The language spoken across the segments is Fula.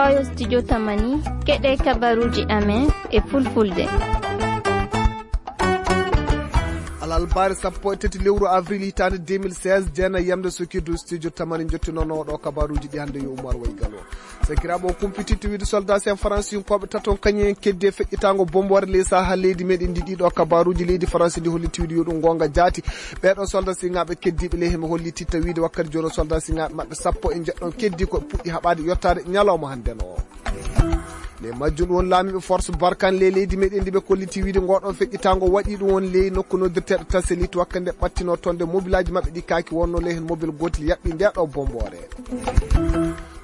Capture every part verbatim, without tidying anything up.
Oyo studio Tamani, keɗe kabaruji amen e fulfulde. Alalbaare sappo e tati lewru avril hitaande deux mille seize, jeena yamde sukirdu studio Tamani jottinoono ɗo kabaruji ɗi hannde yo Umar Way Galo. Sakiraaɓe o kumpititte wiide soldat sen faransinkooɓe taton kañum en keddi e feƴƴitaango bomboore ley saha leydi meɗen ndi. Ɗiɗo kabaruji leydi Faransi ndi hollitti wiide yo ɗum goonga jaati. Ɓeeɗo soldat siŋaaɓe keddiiɓe ley heɓe hollititta wiide wakkati jooni o soldat siŋaaɓe maɓɓe sappo e njeɗɗon keddi ko puɗɗi haɓaade yottaade ñalawma hannde no. Nde majjum ɗum won laamiiɓe force Barkhane ley leydi meɗen ndi ɓe kolliti wiide ngo ɗon feƴƴitaango waɗi ɗum won ley nokku noddirteeɗo Taselit wakkati nde ɓattino toon nde mobilaaji maɓɓe ɗi kaaki wonno ley heen mobil gootel yaɓɓi nde ɗo bomboore.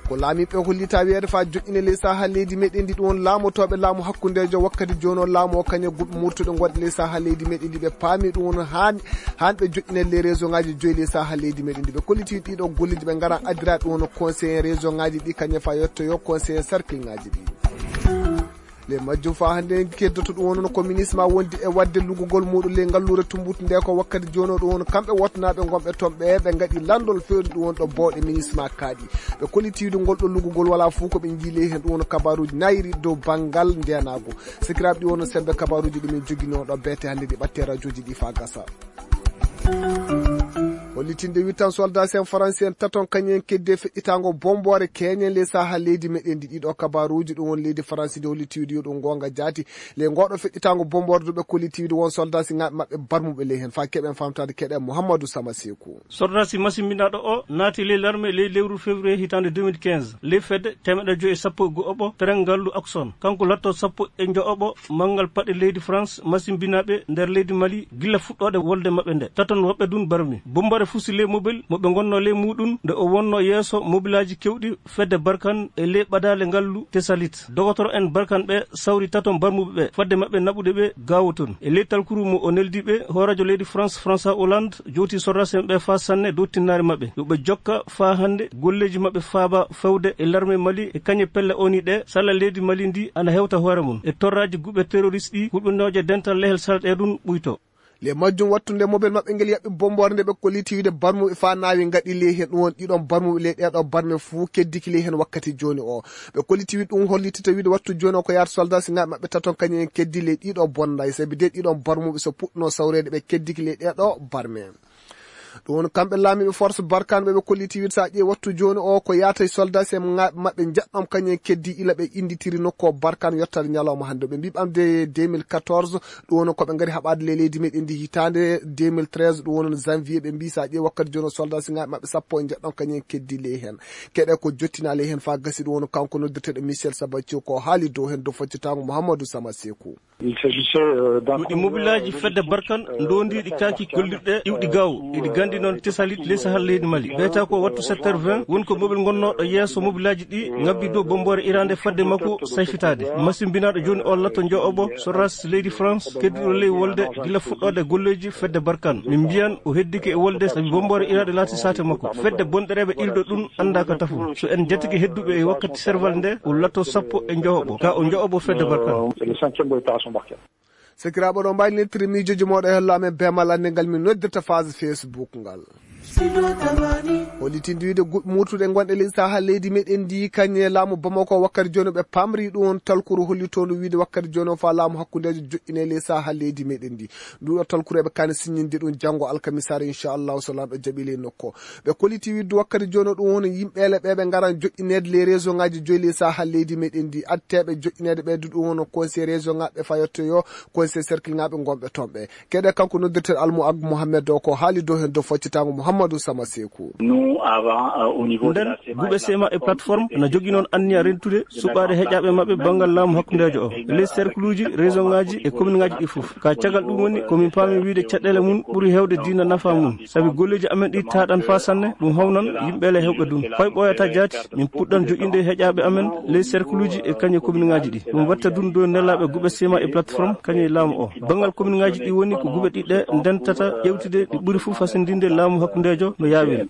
Ko laamiiɓe hollita wiyeede faa joƴƴine ley saha leydi meɗen ndi ɗum won laamotooɓe laamu hakkundeejo wakkati jooni o laamu o kañe guɓe murtuɗe ngonɗe ley saha leydi meɗen ndi ɓe paami ɗum won haan haan ɓe joƴƴinede les région ngaji joyi les saha leydi meɗen ndi. Ɓe kolliti ɗiɗo golleji ɓe ngara addira ɗum woni conseiller région ngaji ɗi kañum fa yettoyo conseiller cercle ngaji ɗi. Le majjum fa hannde en keddoto ɗum woni ko ministre ma wondi e wadde lugugol muɗum le ngalluure tumbutu nde ko wakkati jono ɗum woni kamɓe wottanaɓe gonɓe toon ɓe ɓe ngaɗi landol fewde ɗum woni ɗo bowɗe ministre ma kaaɗi. Ɓe kolliti wiide ngol ɗo lugugol wala fof ko ɓe jiile heen ɗum woni kabaruji nayiri dow banngal ndenago. Sikiraɓe ɗi woni sembe kabaruji ɗumen jogino ɗo beete hannde ɗi ɓatte rajoji ɗi fa gasa. Hollitinde wittan soldat sen faransi en taton kañum en kedde feƴƴitaango bomboore keñen le saha leydi meɗen ndi. Ɗiɗo kabaruji ɗum woni leydi faransi ndi holliti wiide yo ɗum gonga jaati le ngoɗo feƴƴitaango bomboore duɓe kolliti wiide won soldat si ngaɓe maɓɓe barmuɓe ley hen fa keɓen famtade keɗen Mouhamadou Sama Sekou. Sordasi masimbinaɗo o naati ley larme ley lewru février hitande deux mille quinze ley fedde temeɗɗe joyi e sappo e go'oɓo tren ngallu Akson. Kanko latto sappo e jo'oɓo manngal paɗe leydi France masimbinaɓe nder leydi Mali gilla fuɗɗoɗe wolde maɓɓe nde. Taton woɓɓe dun barmi. Bombare fusi ley mobile mo ɓe ngonno ley muɗum nde o wonno yeeso mobilaji kewɗi fedde Barkan e ley ɓadale ngallu Tesalit. Dogotoro en Barkan ɓe sawri taton barmuɓe ɓe fadde maɓɓe naɓude ɓe gawo ton. E ley talkuru mo o neldi ɓe, hooreejo leydi France, François Hollande, jowti sordaasi'en ɓe faa sanne dow tinnaare maɓɓe. Yo ɓe jokka faa hannde golleeji maɓɓe faaba fewde e larme Mali e kañe pelle O N U ɗe sala leydi Mali ndi ana hewta hoore mum. E torraaji guɓe terroriste ɗi hulɓinooje dental lehel sala ɗe ɗum ɓuyto. Le majjum wattunde mobel maɓɓe ngel yaɓɓi bomboore nde ɓe kolliti wiide barmuɓe faa naawi ngaɗi ley heen ɗum won ɗiɗon barmuɓe ley ɗeeɗo barme fuu keddiki ley heen wakkati jooni o. Ɓe kolliti wiide ɗum hollitita wiide wattu jooni o ko yaata soldat si ngaɓe maɓɓe taton kañum en keddi ley ɗiɗo bonnday sabi de ɗiɗon barmuɓe so puɗɗuno sawreede ɓe keddiki ley ɗeeɗo barme. Ɗum woni kamɓe laamiiɓe force Barkan ɓe ɓe kolliti wiide so a ƴeewi wattu jooni o ko yaata e soldat si ngaɓe maɓɓe njaɗɗon kañum en keddi ila ɓe innditiri nokku o Barkan yottade ñalawma hannde. Ɓe mbii ɓamde deux mille quatorze ɗum woni ko ɓe ngari haɓaade ley leydi meɗen ndi hitaande deux mille treize ɗum woni janvier ɓe mbii so a ƴeewi wakkati jooni o soldat si ngaɓe maɓɓe sappo e njeɗɗon kañum en keddi ley heen. Keɗe ko jottina ley heen faa gasi ɗum woni kanko noddirteeɗo Michel Sabatio ko haali dow heen dow faccitaango Mouhamadou Sama Sekou. Ɗum ɗi mobilaaji fedde Barkan ndondiiɗi kaaki kollirɗe iwɗi gaw eɗi gandi noon Tesalit ley sahal leydi Mali. Ɓeyta ko wattu sept heures vingt woni ko mobil ngonnooɗo yeeso mobilaaji ɗi ngabbi dow bomboore irande fadde makko sayfitaade. Masimbinaaɗo jooni o latto njo'oɓo sorras leydi France kedduɗo ley wolde gila fuɗɗoode golleeji fedde Barkan. Min mbiyan o heddike e wolde sabi bomboore irande laati saate makko. Fedde bonɗereeɓe ilɗo ɗum annda ka tafu. So en jatike hedduɓe e wakkati serval nde o latto sappo e njo'oɓo ka o njo'oɓo fedde Barkan. Sakiraaɓe ɗo mbaɗi nettiri miijooji mooɗo e hello amen be malande ngal min noddirta phase Facebook ngal. Hollitinde wiide guɓe murtuɗe gonɗe ley saha leydi meɗen ndi kañe laamu Bamako wakkati jooni ɓe pamri ɗum on talkuru hollitoondu wiide wakkati jooni o fa laamu hakkundeejo joƴƴine ley saha leydi meɗen ndi. Nduɗo talkuru eɓe kani siññinde ɗum janngo alkamisare inchallahu so lanɗo jaɓi ley nokko. Ɓe kolliti wiide wakkati jooni o ɗum woni yimɓeele ɓe ɓe ngaran joƴƴineede ley réseau ngaji joyi ley saha leydi meɗen ndi. Atteeɓe joƴƴineede ɓe du ɗum woni conseil région ngaɓe fayottoyo conseil cercle ngaɓe gonɓe toon ɓe. Keɗe kanko noddirteeɗo Almu Ag Mohamed o ko haali dow heen dow faccitaango Mouhamadou Sama Sekou. Nden guɓe C M A e plateforme na jogi noon anniya rentude suɓaade heƴaaɓe maɓɓe banngal laamu hakkundeejo o. Ley cercle uji, région ngaji e commune ngaji ɗi fof. Ka caggal ɗum woni ko min paami wiide caɗeele mum ɓuri heewde diina nafa mum. Sabi golleeji amen ɗi taaɗan faa sanne, ɗum hawnan yimɓe le heewɓe ɗum. Fay ɓooyata jaati, min puɗɗan joƴƴinde e heƴaaɓe amen ley cercle uji e kañe commune ngaji ɗi. Ɗum watta ɗum dow nelaaɓe guɓe C M A e plateforme kañe laamu o. Banngal commune ngaji ɗi woni ko guɓe ɗiɗɗe ndentata ƴewtude ɗi ɓuri fof fasindinde laamu hakkundeejo no yaawiri.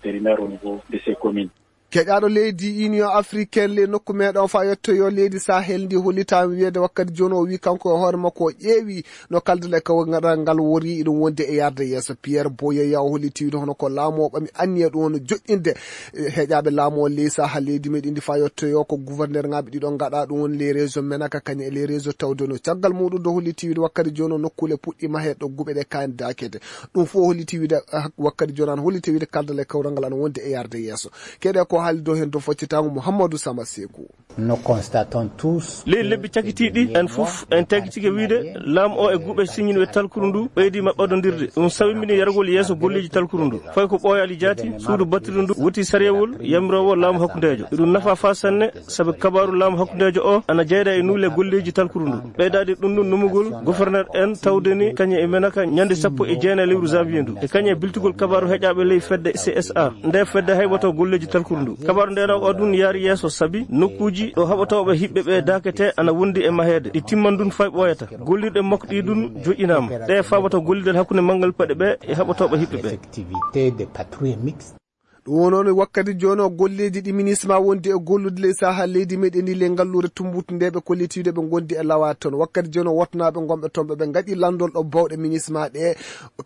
Keƴaaɗo leydi Union Africaine, ley nokku meeɗen faa yettoyoo leydi Sahel ndi, hollitaama wiyeede wakkati jooni o wii kanko e hoore makko o ƴeewi no kaldal e kawral ngal wori, iɗum wonde e yarde yeeso. Pierre Boyeya o holliti wiide hono ko laamu o ɓami anniya ɗum woni joƴƴinde, eh, heƴaaɓe laamu o ley Sahel leydi meeɗen ndi faa yettoyoo ko gouverneur ŋaaɓe ɗiɗo ngaɗa ɗum woni les régions Menaka kañum e les régions Tawdeno. Caggal muɗum do holliti wiide wakkati jooni o nokkuule puɗɗi mahe ɗo guɓe ɗe kaani daakete. Ɗum fof holliti wiide, ah, wakkati jooni an holliti wiide kaldal e kawral ngal ana wonde e yarde yeeso. Keɗe ko haali dow heen dow foccitaango Mouhamadou Sama Sekou. Nous constatons tous. Ley lebbi cakitiiɗi, en fof en tagitike wiide laamu o e guɓe siññinɓe talkuru ndu ɓeydiima ɓadondirde. Ɗum sawimini yargol yeeso golleeji talkuru ndu. Fayi ko ɓooyaali jaati, suudu battidu ndu woti sariyawol yamiroowo laamu hakkundeejo. Ɗum nafa faa sanne, sabu kabaaru laamu hakkundeejo o ana jeyda e nuule golleeji talkuru ndu. Ɓeydaade ɗum ɗum numugol gouverneur en tawde ni kañum e Menaka ñande sappo e jeenayi lewru janvier ndu. E kañum e biltugol kabaaru heƴaaɓe ley fedde C S A. Nde fedde hayɓoto golleeji talkuru ndu. Kabaaru ndeenoowo o ɗum yaari yeeso sabi nokkuuji ɗo haɓotooɓe hiɓɓe ɓe daakete ana wondi e maheede. Ɗi timman ɗum fay ɓooyata. Gollirɗe makko ɗi ɗum joƴƴinaama. Ɗe faabata gollidal hakkunde manngal paɗe ɓe e haɓotooɓe hiɓɓe ɓe. Effectivité des patrouilles mixtes. Ɗum woni wakkati jooni o golleeji ɗi minisma wondi e gollude ley sahaa leydi meɗen ndi ley ngalluure Tumbutu nde ɓe kolliti wiide ɓe ngondi e lawaade toon. Wakkati jooni o wotnaaɓe ngonɓe toon ɓe, ɓe ngaɗi lanndol ɗo bawɗe minisma ɗe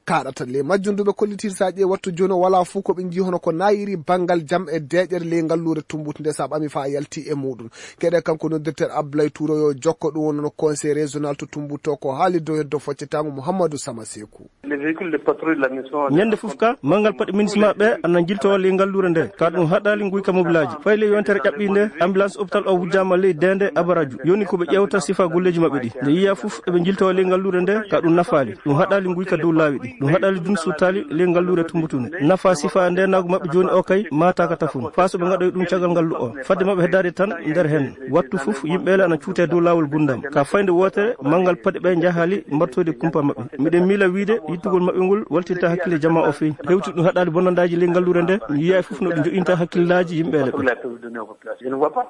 kaaɗata. Ley majjum du ɓe kolliti so a ƴeewi wattu jooni o walaa fof ko ɓe njii hono ko naayiri banngal jam e deeƴere ley ngalluure Tumbutu nde so a ɓami faa yalti e muɗum. Keɗe kanko noddirten Abdoulaye Touré yo jokko ɗum woni no conseil régional to Tumbutu to ko haali dow heddo foccetaango Mouhamadou Sama Sekou. Les véhicules de patrouille de la mission. Ñande fof ka, manngal paɗe minisma ɓe ana njiltoo ley ngalluure nde. Ka ɗum haɗaali nguyka mobilaaji. Fay ley yontere ƴaɓɓii nde, ambulance hôpital o wujjaama ley deende Abaraju. Yoni ko ɓe ƴeewta sifa golleeji maɓɓe ɗi. Nde yiya fof eɓe njiltoo ley ngalluure nde, ka ɗum nafaali. Ɗum haɗaali nguyka dow laawi ɗi. Ɗum haɗaali dun suttaali ley ngalluure Tumbutu nde. Nafa sifa nde nagu maɓɓe jooni o kay, maataaka tafun. Faa so ɓe ngaɗoy ɗum caggal ngallu o. Fadde maɓɓe heddaade tan nder heen. Wattu fof yimɓe le ana cuutee dow laawol gundam. Ka faynde wootere, manngal paɗe ɓe njahaali mbartoyde kumpa maɓɓe. Miɗen miila wiide yittugol maɓɓe ngol waltinta hakkille jamaa o feewi. Hewti ɗum haɗaali bonnandaaji ley ngalluure nde, mi yiyaay fof no ɗum joƴƴinta hakkillaaji yimɓe le ɓe.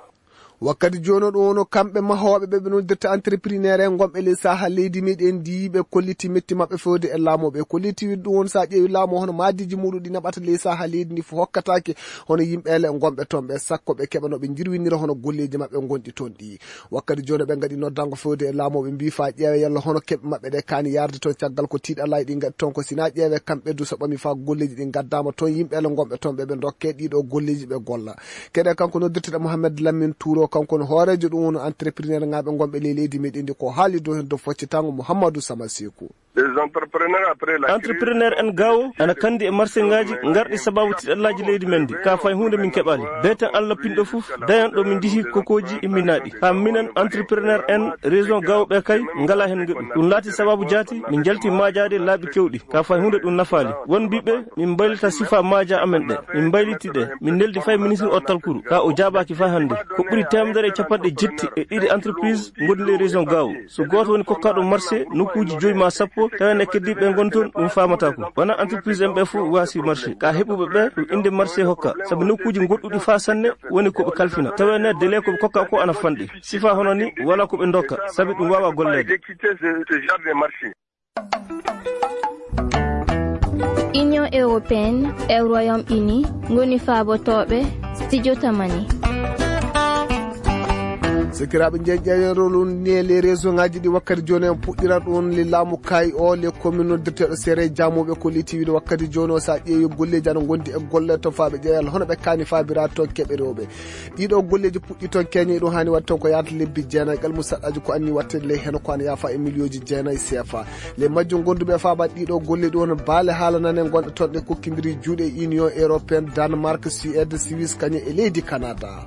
Wakkati jooni o ɗum woni kamɓe mahooɓe ɓe ɓe noddirta entrepreneur en ngonɓe ley sahaa leydi meɗen ndi ɓe kolliti metti maɓɓe fewde e laamu ɓe kolliti wiide ɗum woni so a ƴeewi laamu hono maadiiji muɗum ɗi naɓata ley sahaa leydi ndi fof hokkataake hono yimɓe le ngonɓe toon ɓe sakko ɓe keɓa no ɓe njirwinira hono golleeji maɓɓe ngonɗi toon ɗi. Wakkati jooni ɓe ngaɗi noddango fewde e laamu ɓe mbii faa ƴeewe yalla hono keɓe maɓɓe ɗe kaani yarde toon caggal ko tiiɗalaaji ɗi ngaɗi toon ko sinaa ƴeewe kamɓe du so ɓami faa golleeji ɗi ngaddaama toon yimɓe le ngonɓe toon ɓe ɓe ndokke ɗiɗo golleeji ɓe golla. Keɗe kanko noddirteɗo Mohamed Lamine Touro kanko no hooreejo ɗum woni entrepreneur ŋaaɓe ngonɓe ley leydi meɗen ndi ko haali dow heen dow foccitaango Mouhamadou Sama Sekou. Les entrepreneurs après la crise. Entrepreneur en gaawo ana kandi e marché ngaaji ngarɗi sababu tiɗallaaji leydi men ndi ka fay huunde min keɓaali. Beten Allah pinɗo fof dayan ɗo min ndihi kokooji imminaaɗi. Haa minen entrepreneur en région gaawo ɓe kay ngala heen ngeɗu. Ɗum laati sababu jaati min njalti maajaade laaɓi kewɗi. Ka fay huunde ɗum nafaali. Won mbiɓe min mbaylita sifa maaja amen ɗe. Min mbayliti ɗe. Min neldi fay ministre o talkuru. Ka o jaabaaki fay hannde. Ko ɓuri teemedere e capanɗe jetti e ɗiɗi entreprise ngondi ley région gaawo. So gooto woni kokkaaɗo marché nokkuuji joyi ma sappo, tawa ene keddiiɓe ɓe ngon toon, ɗum faamataa ko. Wona entreprise en ɓe fof waasi marché. Ka heɓuɓe ɓe, ɗum innde marché hokka. Sabu nokkuuji goɗɗuɗi faa sanne woni ko ɓe kalfina. Tawa ene délai ko ɓe kokka ko ana fanɗi. Sifa hono ni, wala ko ɓe ndokka, sabi ɗum waawa golleede. Union européenne e Royaume-Uni ngoni faabotooɓe studio Tamani. Sakiraaɓe, njeeƴƴeeñe rolu ne les région ngaji ɗi wakkati jooni en puɗɗiran ɗum le laamu kaayi o le commune noddirteeɗo sere jamuɓe ko liti wiide wakkati jooni o so a ƴeewi golleeji ana ngondi e golle to faaɓe ƴeewal hono ɓe kaani faabiraade toon keɓe rewɓe. Ɗiɗo golleeji puɗɗi toon keñe ɗum haani waɗde toon ko yaata lebbi jeenayi gal musaɗɗaaji ko anni waɗteede ley heen ko ana yaafa e miliyooji jeenayi C F A. Le majjum gonduɓe e faabaade ɗiɗo golle ɗi won baale haalanane gonɗe toon ɗe kokkindiri juuɗe Union européenne, Danemark, Suède, Suisse kañum e leydi Canada.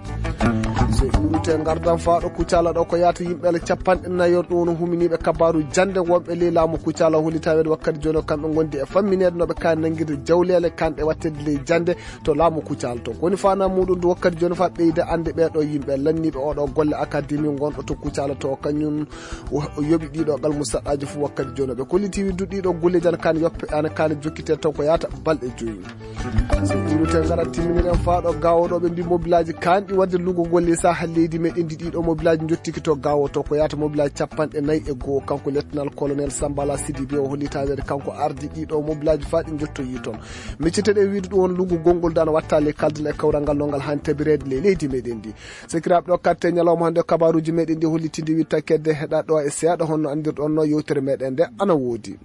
So iwrute ngardan faaɗo kucala ɗo ko yaata yimɓe le capanɗe nayo ɗum woni huminiiɓe kabaaru jannde wonɓe ley laamu kucala holli taweede wakkati jooni o kamɓe ngondi e fammineede no ɓe kaani nanngirde jawleele kanɗe waɗteede ley jannde to laamu kucala to. Ko woni faanaa muɗum ndu wakkati jooni faa ɓeyda annde ɓee ɗo yimɓe lanniiɓe oo ɗo golle akademi gonɗo to kucala to kañum o yoɓi ɗiɗo gal musaɗɗaaji fof wakkati jooni ɓe kolliti wiide ɗiɗo golleeji ana kaani yoppe ana kaani jokkitee taw ko yaata balɗe joyi. So ɗiɗo te ngara timminiren faa ɗo gaawo ɗo ɓe mbi mobilaaji kaanɗi waɗde lugugol ley sahaa leydi Di meɗen di ɗiɗo mobilaaji jottiki to gawo to ko yata mobilaaji capanɗe nayi e goo. Kanko lettanal colonel Sambala Sidibe o holli tawede kanko ardi ɗiɗo mobilaaji faa ɗi jottoyi toon. Micciteɗen wiide ɗum on lungu gonngol dana wattali kaldal e kawral ngal longal han tabireede ley leydi meɗen ndi. Sekiraaɓe ɗo katte ñalawma hannde kabaruuji meɗen ndi hollitinde wittakeede heɗa ɗo e seeɗa honno anndirɗon no yewtere meɗen nde ana woodi.